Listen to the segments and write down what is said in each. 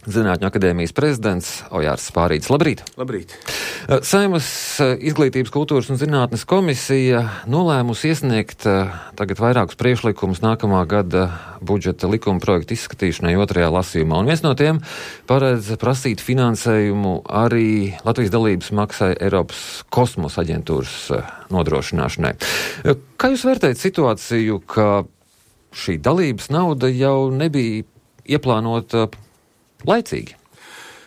Zinātņu akadēmijas prezidents Ojārs Spārītis. Labrīt! Labrīt! Saeimas Izglītības, kultūras un zinātnes komisija nolēmusi iesniegt tagad vairākus priekšlikumus nākamā gada budžeta likuma projektu izskatīšanai otrajā lasījumā. Un viens no tiem paredz prasīt finansējumu arī Latvijas dalības maksai Eiropas kosmosa aģentūras nodrošināšanai. Kā jūs vērtējat situāciju, ka šī dalības nauda jau nebija ieplānota laicīgi?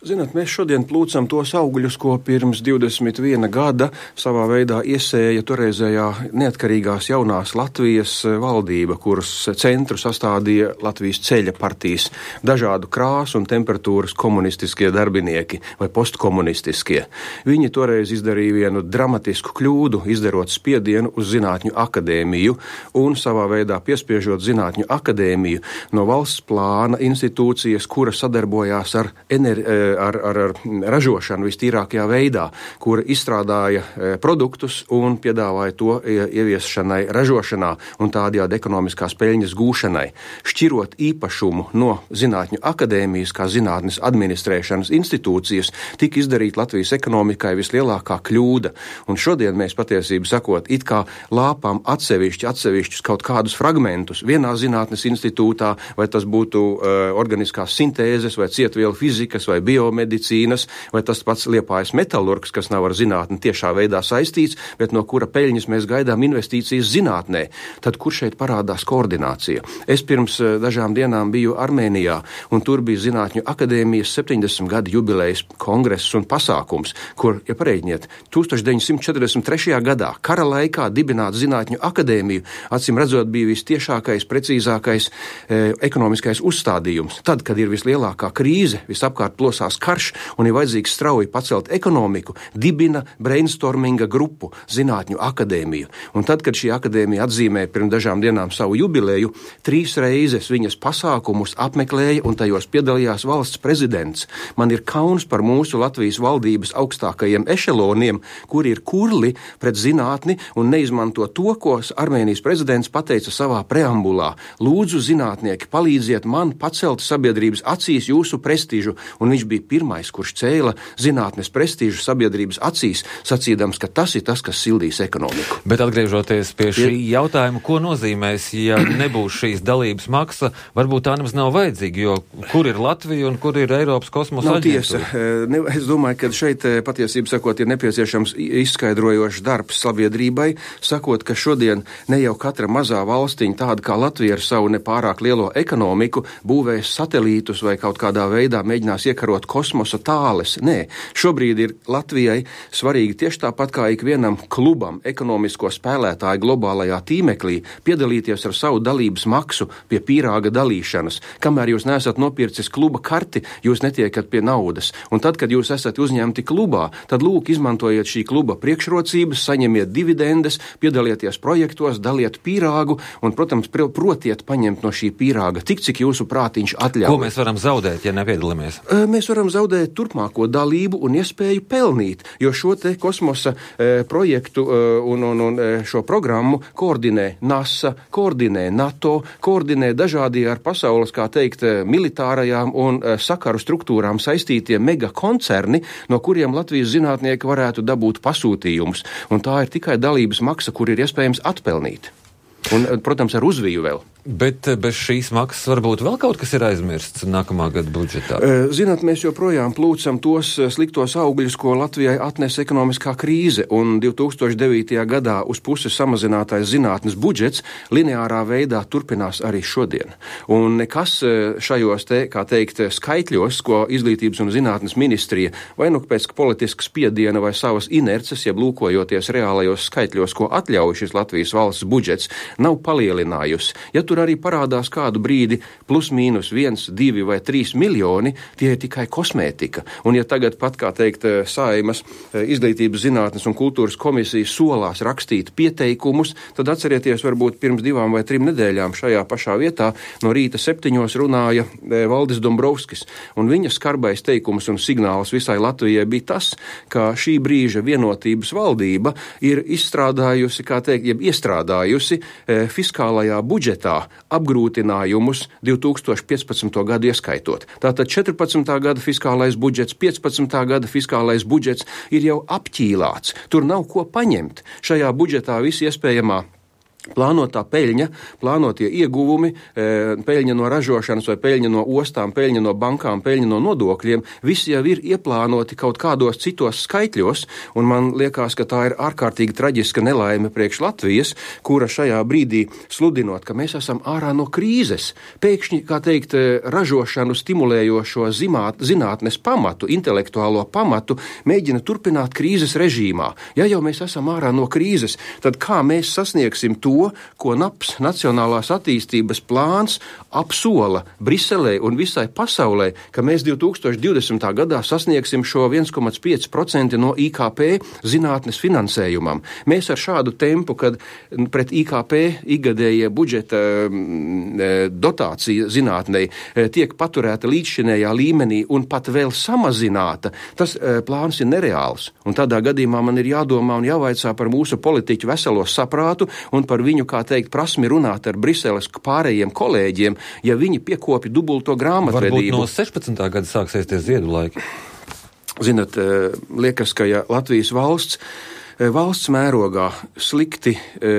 Zināt, mēs šodien plūcam tos augļus, ko pirms 21 gada savā veidā iesēja toreizējā neatkarīgās jaunās Latvijas valdība, kuras centru sastādīja Latvijas ceļa partijas dažādu krāsu un temperatūras komunistiskie darbinieki vai postkomunistiskie. Viņi toreiz izdarīja vienu dramatisku kļūdu, izdarot spiedienu uz Zinātņu akadēmiju un savā veidā piespiežot Zinātņu akadēmiju no valsts plāna institūcijas, kura sadarbojās ar ražošanu vistīrākajā veidā, kura izstrādāja produktus un piedāvāja to ieviešanai ražošanā un tādējādi ekonomiskās peļņas gūšanai. Šķirot īpašumu no Zinātņu akadēmijas kā zinātnes administrēšanas institūcijas, tika izdarīta Latvijas ekonomikai vislielākā kļūda. Un šodien mēs patiesību sakot, it kā lāpām atsevišķus kaut kādus fragmentus vienā zinātnes institūtā, vai tas būtu organiskās sintēzes, vai cietvielu fizikas, vai biomedicīnas, vai tas pats Liepājas metalurgs, kas nav ar zinātni tiešā veidā saistīts, bet no kura peļņas mēs gaidām investīcijas zinātnē. Tad kur šeit parādās koordinācija? Es pirms dažām dienām biju Armēnijā, un tur bija Zinātņu akadēmijas 70 gadu jubilejas kongress un pasākums, kur, ja pareiģiniet, 1943. gadā kara laikā dibināt Zinātņu akadēmiju, acīm redzot, bija vistiešākais, precīzākais ekonomiskais uzstādījums. Tad, kad ir vislielākā krīze, visapkārt plosās karš un ir vajadzīgs strauji pacelt ekonomiku, dibina brainstorminga grupu Zinātņu akadēmiju. Un tad, kad šī akadēmija atzīmē pirms dažām dienām savu jubileju, 3 reizes viņas pasākumus apmeklēja un tajos piedalījās valsts prezidents. Man ir kauns par mūsu Latvijas valdības augstākajiem ešeloniem, kuri ir kurli pret zinātni un neizmanto to, ko Armēnijas prezidents pateica savā preambulā. Lūdzu, zinātnieki, palīdziet man pacelt sabiedrības acīs jūsu prestižu. Un viņš bija pirmais, kurš cēla zinātnes prestižu sabiedrības acīs, sacīdams, ka tas ir tas, kas sildīs ekonomiku. Bet atgriežoties pie šī jautājuma, ko nozīmēs, ja nebūs šīs dalības maksa, varbūt tā nemaz nav vajadzīga, jo kur ir Latvija un kur ir Eiropas kosmosa aģentūra? Tiesa. Es domāju, ka šeit patiesību sakot ir nepieciešams izskaidrojošs darbs sabiedrībai, sakot, ka šodien ne jau katra mazā valstiņa, tāda kā Latvija ar savu nepārāk lielo ekonomiku, būvēs satelītus vai kaut kādā veidā mēģinās iekarot kosmosa tāles. Nē, šobrīd ir Latvijai svarīgi tieši tāpat kā ikvienam klubam, ekonomisko spēlētāju globālajā tīmeklī, piedalīties ar savu dalības maksu pie pīrāga dalīšanas. Kamēr jūs neesat nopircis kluba karti, jūs netiekat pie naudas. Un tad, kad jūs esat uzņemti klubā, tad lūk, izmantojiet šī kluba priekšrocības, saņemiet dividendes, piedalieties projektos, daliet pīrāgu un, protams, protiet paņemt no šī pīrāga tik, cik jūsu prātiņš atļauj. Ko mēs varam zaudēt, ja nepiedalāmies? Mēs varam zaudēt turpmāko dalību un iespēju pelnīt, jo šo te kosmosa projektu un šo programmu koordinē NASA, koordinē NATO, koordinē dažādie ar pasaules, kā teikt, militārajām un sakaru struktūrām saistītie megakoncerni, no kuriem Latvijas zinātnieki varētu dabūt pasūtījumus. Un tā ir tikai dalības maksa, kur ir iespējams atpelnīt. Un, protams, ar uzviju vēl. Bet bez šīs maksas varbūt vēl kaut kas ir aizmirsts nākamā gada budžetā? Zināt, mēs joprojām plūcam tos sliktos augļus, ko Latvijai atnes ekonomiskā krīze, un 2009. gadā uz pusi samazinātais zinātnes budžets lineārā veidā turpinās arī šodien. Un nekas šajos te, kā teikt, skaitļos, ko Izglītības un zinātnes ministrija vai nu pēc politiskas spiediena vai savas inerces, jeb lūkojoties reālajos skaitļos, ko atļauj šis Latvijas valsts budžets, nav palielinājusi. Ja tur arī parādās kādu brīdi plus mīnus 1, 2 vai 3 miljoni, tie ir tikai kosmētika. Un ja tagad pat, kā teikt, Saeimas Izglītības, zinātnes un kultūras komisija solās rakstīt pieteikumus, tad atcerieties, varbūt pirms 2 vai 3 nedēļām šajā pašā vietā no rīta 7 runāja Valdis Dombrovskis. Un viņa skarbais teikums un signāls visai Latvijai bija tas, ka šī brīža vienotības valdība ir izstrādājusi, kā teikt, jeb iestrādājusi fiskālajā budžetā apgrūtinājumus 2015. gadu ieskaitot. Tātad 14. gada fiskālais budžets, 15. gada fiskālais budžets ir jau apķīlāts. Tur nav ko paņemt. Šajā budžetā viss iespējamā plānotā peļņa, plānotie ieguvumi, peļņa no ražošanas vai peļņa no ostām, peļņa no bankām, peļņa no nodokļiem, visi jau ir ieplānoti kaut kādos citos skaitļos, un man liekas, ka tā ir ārkārtīgi traģiska nelaime priekš Latvijas, kura šajā brīdī sludinot, ka mēs esam ārā no krīzes, pēkšņi, kā teikt, ražošanu stimulējošo zinātnes pamatu, intelektuālo pamatu, mēģina turpināt krīzes režīmā. Ja jau mēs esam ārā no krīzes, tad kā mēs sasniegsim to, ko NAPS, Nacionālās attīstības plāns, apsola Briselē un visai pasaulē, ka mēs 2020. gadā sasniegsim šo 1,5% no IKP zinātnes finansējumam. Mēs ar šādu tempu, kad pret IKP ikgadējie budžeta dotācija zinātnei tiek paturēta līdzšinējā līmenī un pat vēl samazināta, tas plāns ir nereāls. Un tādā gadījumā man ir jādomā un jāvaicā par mūsu politiķu veselo saprātu un par viņu, kā teikt, prasmi runāt ar Briseles pārējiem kolēģiem, ja viņi piekopja dubulto grāmatvedību. Varbūt no 16. gada sāksies tie ziedu laiki. Zinat, liekas, ka ja Latvijas valsts mērogā slikti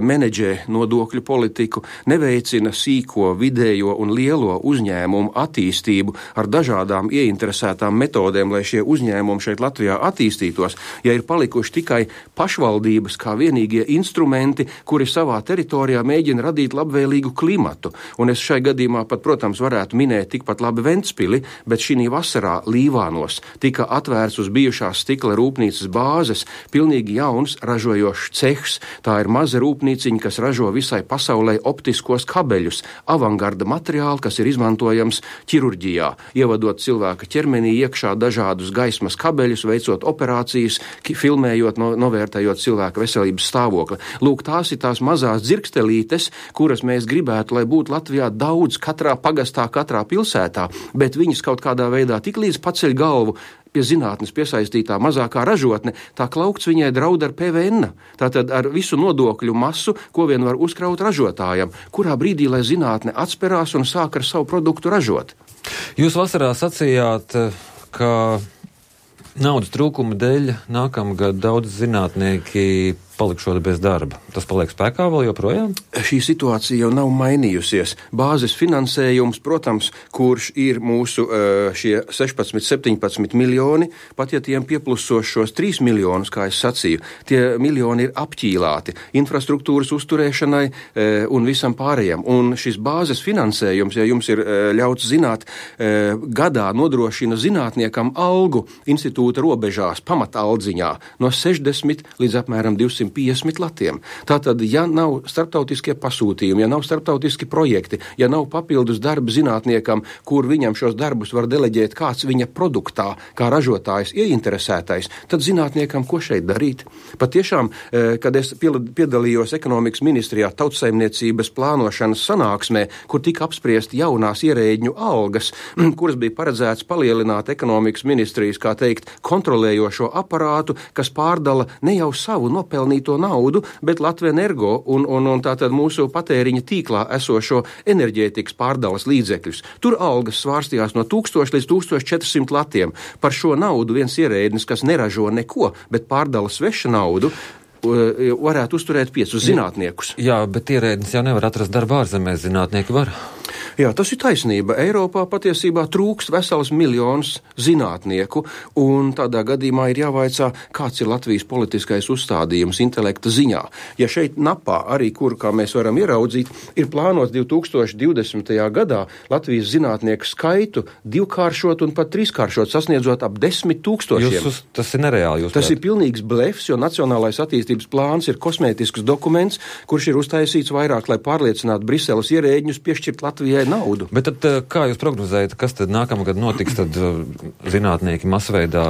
menedžē nodokļu politiku, neveicina sīko, vidējo un lielo uzņēmumu attīstību ar dažādām ieinteresētām metodēm, lai šie uzņēmumi šeit Latvijā attīstītos, ja ir palikuši tikai pašvaldības kā vienīgie instrumenti, kuri savā teritorijā mēģina radīt labvēlīgu klimatu. Un es šai gadījumā pat, protams, varētu minēt tikpat labi Ventspili, bet šī vasarā Līvānos tika atvērts uz bijušās stikla rūpnīcas bāzes pilnīgi jauns ražojošs cehs. Tā ir maza rūpnīciņa, kas ražo visai pasaulē optiskos kabeļus, avangarda materiālu, kas ir izmantojams ķirurģijā, ievadot cilvēka ķermenī iekšā dažādus gaismas kabeļus, veicot operācijas, filmējot, novērtējot cilvēka veselības stāvokli. Lūk, tās ir tās mazās dzirkstelītes, kuras mēs gribētu, lai būtu Latvijā daudz katrā pagastā, katrā pilsētā, bet viņas kaut kādā veidā tik līdz paceļ galvu pie zinātnes piesaistītā mazākā ražotne, tā klaukts viņai draud ar PVN, tātad ar visu nodokļu masu, ko vien var uzkraut ražotājam, kurā brīdī, lai zinātne atsperās un sāk ar savu produktu ražot. Jūs vasarā sacījāt, ka naudas trūkuma dēļ nākamgad daudz zinātnieki palikšot bez darba. Tas paliek spēkā vēl joprojām? Šī situācija jau nav mainījusies. Bāzes finansējums, protams, kurš ir mūsu šie 16-17 miljoni, pat ja tiem pieplusos šos 3 miljonus, kā es sacīju, tie miljoni ir apķīlāti infrastruktūras uzturēšanai un visam pārējiem. Un šis bāzes finansējums, ja jums ir ļauts zināt, gadā nodrošina zinātniekam algu institūta robežās, pamataldziņā, no 60 līdz apmēram 250 latiem. Tātad, ja nav starptautiskie pasūtījumi, ja nav starptautiski projekti, ja nav papildus darba zinātniekam, kur viņam šos darbus var deleģēt kāds viņa produktā, kā ražotājs ieinteresētais, tad zinātniekam ko šeit darīt? Patiešām, kad es piedalījos ekonomikas ministrijā tautsaimniecības plānošanas sanāksmē, kur tika apspriesti jaunās ierēģņu algas, kuras bija paredzēts palielināt ekonomikas ministrijas, kā teikt, kontrolējošo aparātu, kas pārdala ne jau savu nopelnīto naudu, bet Latvenergo un tātad mūsu patēriņa tīklā esošo enerģētikas pārdales līdzekļus. Tur algas svārstījās no 1000 līdz 1400 latiem. Par šo naudu viens ierēdnis, kas neražo neko, bet pārdala sveša naudu, varētu uzturēt 5 zinātniekus. Jā, bet ierēdnis jau nevar atrast darbu ārzemēs, zinātnieki var. Jā, tas ir taisnība. Eiropā patiesībā trūkst vesels miljons zinātnieku, un tādā gadījumā ir jāvaicā, kāds ir Latvijas politiskais uzstādījums intelekta ziņā. Ja šeit NAPā arī, kur, kā mēs varam ieraudzīt, ir plānots 2020. gadā Latvijas zinātnieku skaitu 2-kāršot un pat 3-kāršot, sasniedzot ap 10 000. Tas ir nereāli. Tas ir pilnīgs blefs, jo Nacionālais attīstības plāns ir kosmētisks dokuments, kurš ir uztaisīts vairāk, lai pārliecinātu Briseles ierēģņus piešķirt Latvijai naudu. Bet tad, kā jūs prognozējat, kas tad nākamgad notiks, tad zinātnieki masveidā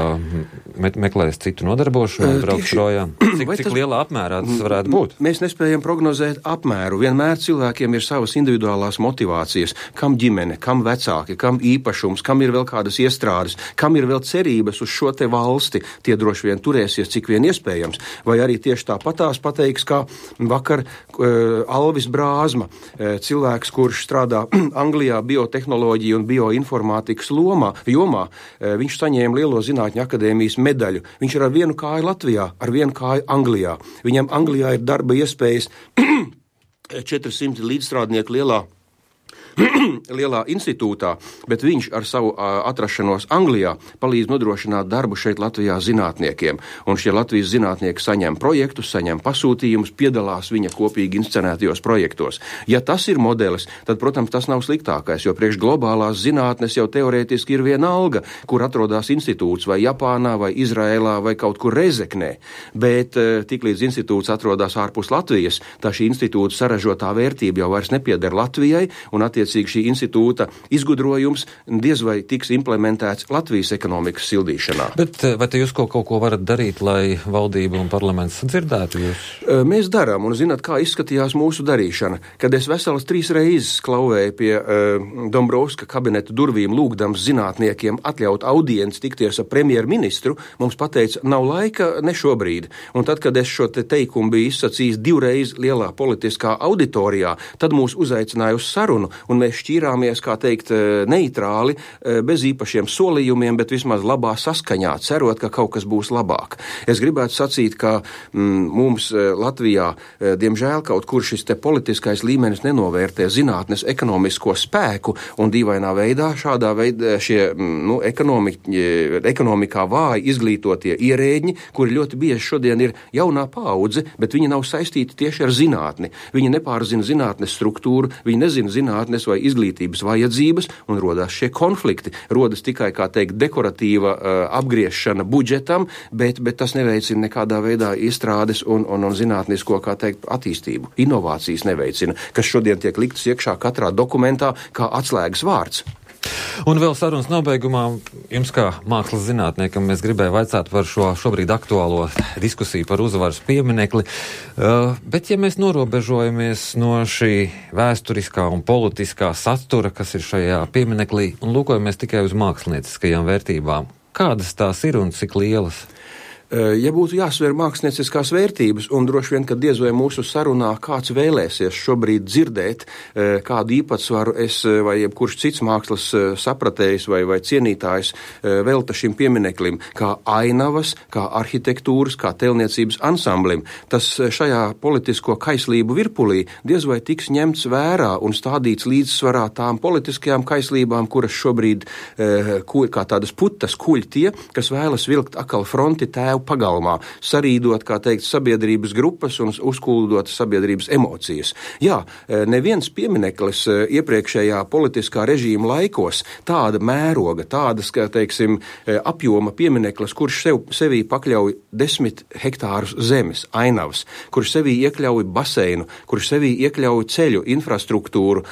meklēs citu nodarbošanos, brauks projām. Cik lielā apmērā tas varētu būt? Mēs nespējam prognozēt apmēru. Vienmēr cilvēkiem ir savas individuālās motivācijas. Kam ģimene, kam vecāki, kam īpašums, kam ir vēl kādas iestrādes, kam ir vēl cerības uz šo te valsti. Tie droši vien turēsies, cik vien iespējams. Vai arī tieši tāpatās pateiks, kā vakar Alvis Brāzma, cilvēks, kurš strādā Anglijā biotehnoloģiju un bioinformātikas jomā. Viņš saņēma Lielo zinātņu akadēmijas medaļu. Viņš ir ar vienu kāju Latvijā, ar vienu kāju Anglijā. Viņam Anglijā ir darba iespējas 400 līdzstrādnieku lielā institūtā, bet viņš ar savu atrašanos Anglijā palīdz nodrošināt darbu šeit Latvijā zinātniekiem. Un šie Latvijas zinātnieki saņem projektus, saņem pasūtījumus, piedalās viņa kopīgi inscenētajos projektos. Ja tas ir modelis, tad, protams, tas nav sliktākais, jo priekš globālās zinātnes jau teorētiski ir viena alga, kur atrodas institūts vai Japānā, vai Izraēlā, vai kaut kur Rezeknē. Bet tiklīdz institūts atrodas ārpus Latvijas, tā šī institūta saražotā vērtība jau vairs nepieder Latvijai, un šī institūta izgudrojums diez vai tiks implementēts Latvijas ekonomikas sildīšanā. Bet vai te jūs kaut ko varat darīt, lai valdība un parlaments dzirdētu jūs? Mēs darām, un zināt, kā izskatījās mūsu darīšana. Kad es veselas 3 reizes klauvēju pie Dombrovska kabineta durvīm, lūgdams zinātniekiem atļaut audienci tikties ar premjerministru, mums pateica, nav laika, ne šobrīd. Un tad, kad es šo teikumu biju izsacījis 2 reizes lielā politiskā auditorijā, tad mūs uzaicināja uz sarunu, un mēs šķīrāmies, kā teikt, neitrāli, bez īpašiem solījumiem, bet vismaz labā saskaņā, cerot, ka kaut kas būs labāk. Es gribētu sacīt, ka mums Latvijā, diemžēl, kaut kur šis te politiskais līmenis nenovērtē zinātnes ekonomisko spēku, un dīvainā veidā šādā veidā šie ekonomikā vāji izglītotie ierēģi, kuri ļoti bieži šodien ir jaunā paudze, bet viņi nav saistīti tieši ar zinātni. Viņi nepārzina zinātnes struktūru, viņi nezina zinātnes vai izglītības vajadzības, un rodās šie konflikti. Rodas tikai, kā teikt, dekoratīva apgriešana budžetam, bet tas neveicina nekādā veidā izstrādes un zinātnisko, kā teikt, attīstību. Inovācijas neveicina, kas šodien tiek liktas iekšā katrā dokumentā kā atslēgas vārds. Un vēl sarunas nobeigumā jums kā mākslas zinātniekam mēs gribēju vaicāt par šo šobrīd aktuālo diskusiju par Uzvaras pieminekli, bet ja mēs norobežojamies no šī vēsturiskā un politiskā satura, kas ir šajā pieminaklī, un lūkojamies tikai uz mākslinieckajām vērtībām, kādas tās ir un cik lielas? Ja būtu jāsver mākslinieckās vērtības, un droši vien, ka diez vai mūsu sarunā kāds vēlēsies šobrīd dzirdēt, kādu īpatsvaru es vai jebkurš cits mākslas sapratējs vai cienītājs velta šim piemineklim, kā ainavas, kā arhitektūras, kā tēlniecības ansamblim, tas šajā politisko kaislību virpulī diez vai tiks ņemts vērā un stādīts līdzsvarā tām politiskajām kaislībām, kuras šobrīd kā tādas putas kuļ tie, kas vēlas vilkt akal fronti tēvu pagalmā, sarīdot, kā teikt, sabiedrības grupas un uzkuldot sabiedrības emocijas. Jā, neviens piemineklis iepriekšējā politiskā režīma laikos tāda mēroga, tādas, kā teiksim, apjoma piemineklis, kurš sevī pakļauj 10 hektārus zemes, ainavas, kurš sevī iekļauj baseinu, kurš sevī iekļauj ceļu, infrastruktūru,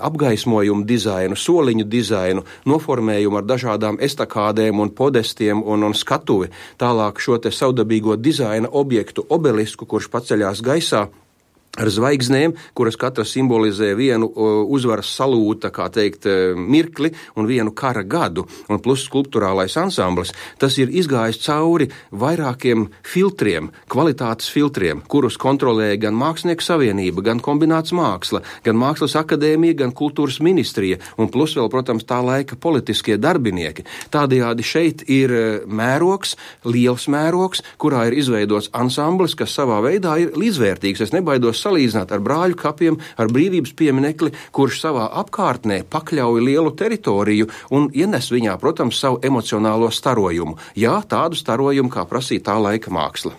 apgaismojumu dizainu, soliņu dizainu, noformējumu ar dažādām estakādēm un podestiem un skatuvi, tālāk šo te savdabīgo dizaina objektu obelisku, kurš paceļās gaisā ar zvaigznēm, kuras katra simbolizē vienu uzvaras salūta, kā teikt, mirkli un vienu kara gadu, un plus skulpturālais ansamblis, tas ir izgājis cauri vairākiem filtriem, kvalitātes filtriem, kurus kontrolē gan Mākslinieku savienība, gan kombināts māksla, gan Mākslas akadēmija, gan kultūras ministrija, un plus vēl, protams, tā laika politiskie darbinieki. Tādējādi šeit ir mērogs, liels mērogs, kurā ir izveidots ansamblis, kas savā veidā ir līdzvērtīgs. Es nebaidos salīdzināt ar Brāļu kapiem, ar Brīvības pieminekli, kurš savā apkārtnē pakļauj lielu teritoriju un ienes viņā, protams, savu emocionālo starojumu. Jā, tādu starojumu, kā prasīja tā laika māksla.